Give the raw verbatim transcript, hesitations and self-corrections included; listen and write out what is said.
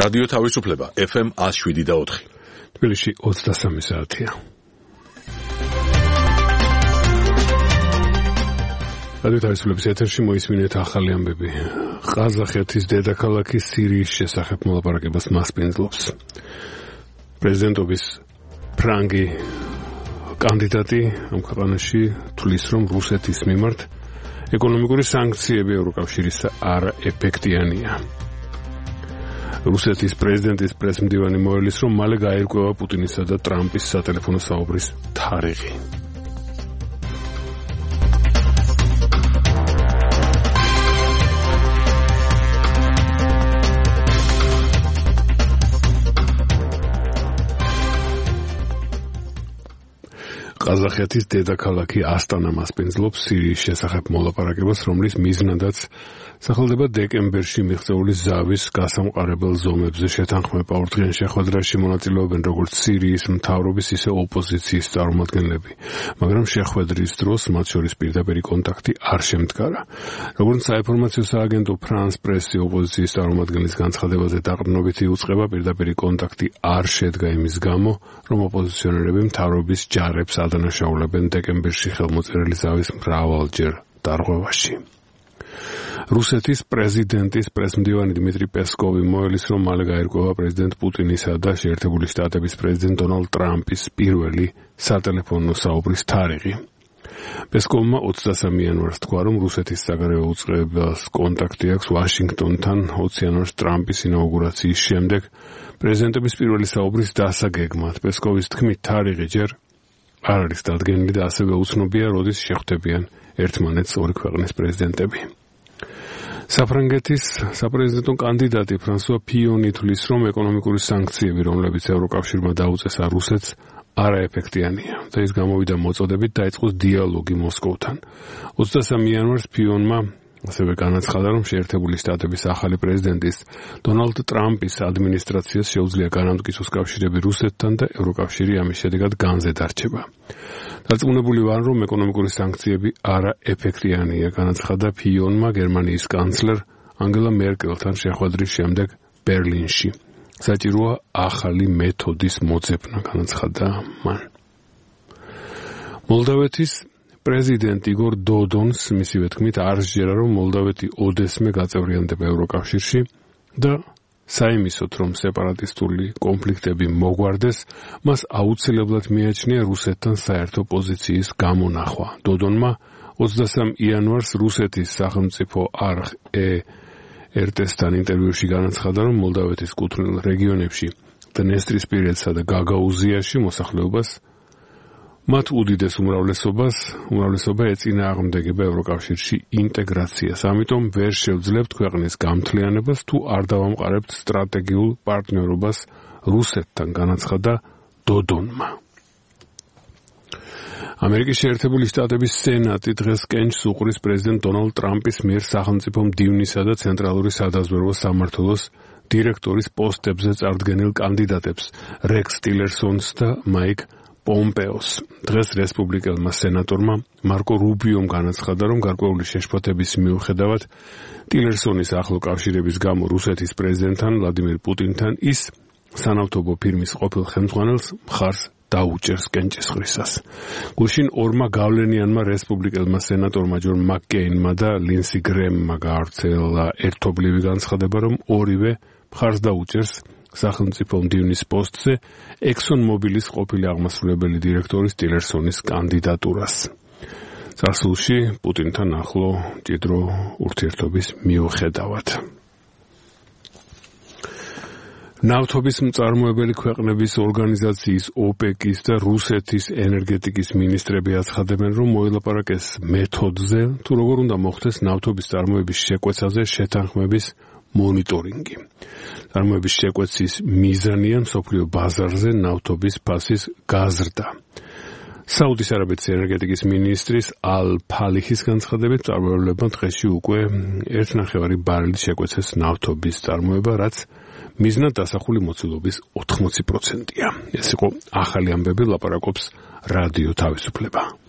რადიო თავისუფლება ეფ ემ one oh seven და four. თბილისში ოცდასამი საათია. რადიო თავისუფლების ეთერში მოისმინეთ ახალი ამბები. ყაზახეთის დედაქალაქი სირიის შესახებ მოლაპარაკებას მასპინძლობს. პრეზიდენტობის ფრანგი კანდიდატი ამ ქვეყანაში თვლის, რომ რუსეთის მიმართ ეკონომიკური სანქციები ევროკავშირის არაეფექტიანია. რუსეთის პრეზიდენტის პრესმდივანი მოელის, რომ მალე გაირკვევა პუტინისა და ტრამპის სატელეფონო საუბრის თარიღი. ყაზახეთის დედაქალაქი ასტანა მასპინძლობს სირიის შესახებ მოლაპარაკებას, რომლის მიზნადაც სახელდება დეკემბერში მიღწეული ზავის გასამყარებელ ზომებზე შეთანხმება. ორდღიან შეხვედრაში მონაწილეობენ როგორც სირიის მთავრობის, ისე ოპოზიციის წარმომადგენლები, მაგრამ შეხვედრის დროს მათ შორის პირდაპირი კონტაქტი არ შემდგარა. როგორც საინფორმაციო სააგენტო ფრანს პრესი ოპოზიციის წარმომადგენლის განცხადებაზე დაყრდნობით იუწყება, პირდაპირი კონტაქტი არ შედგა იმის გამო, რომ ოპოზიციონერები მთავრობის ჯარებს ადანაშაულებენ დეკემბერში ხელმოწერილი ზავის მრავალჯერ დარღვევაში. რუსეთის პრეზიდენტის პრესმდივანი დიმიტრი პესკოვი მოელის, რომ მალე გაირკვევა პრეზიდენტ პუტინისა და შეერთებული შტატების პრეზიდენტ დონალდ ტრამპის პირველი სატელეფონო საუბრის თარიღი. პესკოვმა ოცდასამი იანვარს თქვა, რომ რუსეთის საგარეო უწყებას კონტაქტი აქვს ვაშინგტონთან ოცი იანვარს ტრამპის ინაუგურაციის შემდეგ პრეზიდენტების პირველი საუბრის დასაგეგმად. პესკოვის თქმით, თარიღი ჯერ არ არის დადგენილი და ასევე უცნობია, როდის შეხვდებიან ერთმანეთს ორი ქვეყნის პრეზიდენტები. საფრანგეთის საპრეზიდენტო კანდიდატი ფრანსუა ფიონი თვლის, რომ ეკონომიკური სანქციები, რომლებიც ევროკავშირმა დაუწესა რუსეთს, არაეფექტიანია და ის გამოვიდა მოწოდებით დაიწყოს დიალოგი მოსკოვთან. ოცდასამი იანვარს ფიონმა ასევე განაცხადა, რომ შეერთებული შტატების ახალი პრეზიდენტის დონალდ ტრამპის ადმინისტრაციას შეუძლია განამტკიცოს კავშირები რუსეთთან და ევროკავშირი ამის შედეგად განზე დარჩება. დარწმუნებული ვარ, რომ ეკონომიკური სანქციები არაეფექტიანია, განაცხადა ფიონმა გერმანიის კანცლერ ანგელა მერკელთან შეხვედრის შემდეგ ბერლინში. საჭიროა ახალი მეთოდის მოძებნა, განაცხადა მან. მოლდავეთის პრეზიდენტ იგორ დოდონს მისივე თქმით არ სჯერა, რომ მოლდავეთი ოდესმე გაწევრიანდება ევროკავშირში და საიმისოდ, რომ სეპარატისტული კონფლიქტები მოგვარდეს, მას აუცილებლად მიაჩნია რუსეთთან საერთო პოზიციის გამონახვა. დოდონმა ოცდასამი იანვარს რუსეთის სახელმწიფო არხ ერ ტე ეს-თან ინტერვიუში განაცხადა, რომ მოლდავეთის კუთვნილ რეგიონებში დნესტრისპირეთსა და გაგაუზიაში მოსახლეობას მათ უდიდეს უმრავლესობას, უმრავლესობა ეწინააღმდეგება ევროკავშირში ინტეგრაციას. ამიტომ ვერ შევძლებთ ქვეყნის გამთლიანებას, თუ არ დავამყარებთ სტრატეგიულ პარტნიორობას რუსეთთან, განაცხადა დოდონმა. ამერიკის შეერთებული შტატების სენატი დღეს კენჭს უყრის პრეზიდენტ დონალდ ტრამპის მიერ სახელმწიფო მდივნისა და ცენტრალური სადაზვერვო სამმართველოს დირექტორის პოსტებზე წარდგენილ კანდიდატებს რექს ტილერსონს და მაიკ პომპეოს. დღეს რესპუბლიკელმა სენატორმა მარკო რუბიომ განაცხადა, რომ გარკვეული შეშფოთების მიუხედავად ტილერსონის ახლო კავშირების გამო რუსეთის პრეზიდენტთან ვლადიმირ პუტინთან ის სანავთობო ფირმის ყოფილ ხელმძღვანელს მხარს დაუჭერს კენჭისყრისას. გუშინ ორმა გავლენიანმა რესპუბლიკელმა სენატორმა ჯონ მაკკეინმა და ლინსი გრემმა გაავრცელა ერთობლივი განცხადება, რომ ორივე მხარს დაუჭერს სახელმწიფო მდივნის პოსტზე ექსონ მობილის ყოფილი აღმასრულებელი დირექტორის ტილერსონის კანდიდატურას. წარსულში პუტინთან ახლო მჭიდრო ურთიერთობის მიუხედავად. ნავთობის მწარმოებელი ქვეყნების ორგანიზაციის ოპეკის და რუსეთის ენერგეტიკის მინისტრები აცხადებენ, რომ მოელაპარაკეს მეთოდზე, თუ როგორ უნდა მოხდეს ნავთობის წარმოების შეკვეცაზე შეთანხმების მონიტორინგი. წარმოების შეკვეცის მიზანია მსოფლიო ბაზარზე ნავთობის ფასის გაზრდა. საუდის არაბეთის ენერგეტიკის მინისტრის ალ ფალიხის განცხადებით, მწარმოებლებმა დღეში უკვე ერთი ნახევარი ბარელის შეკვეცეს ნავთობის წარმოება, რაც მიზნად დასახული მოცულობის ოთხმოცი პროცენტია. ეს იყო ახალი ამბები, ლაპარაკობს რადიო თავისუფლება.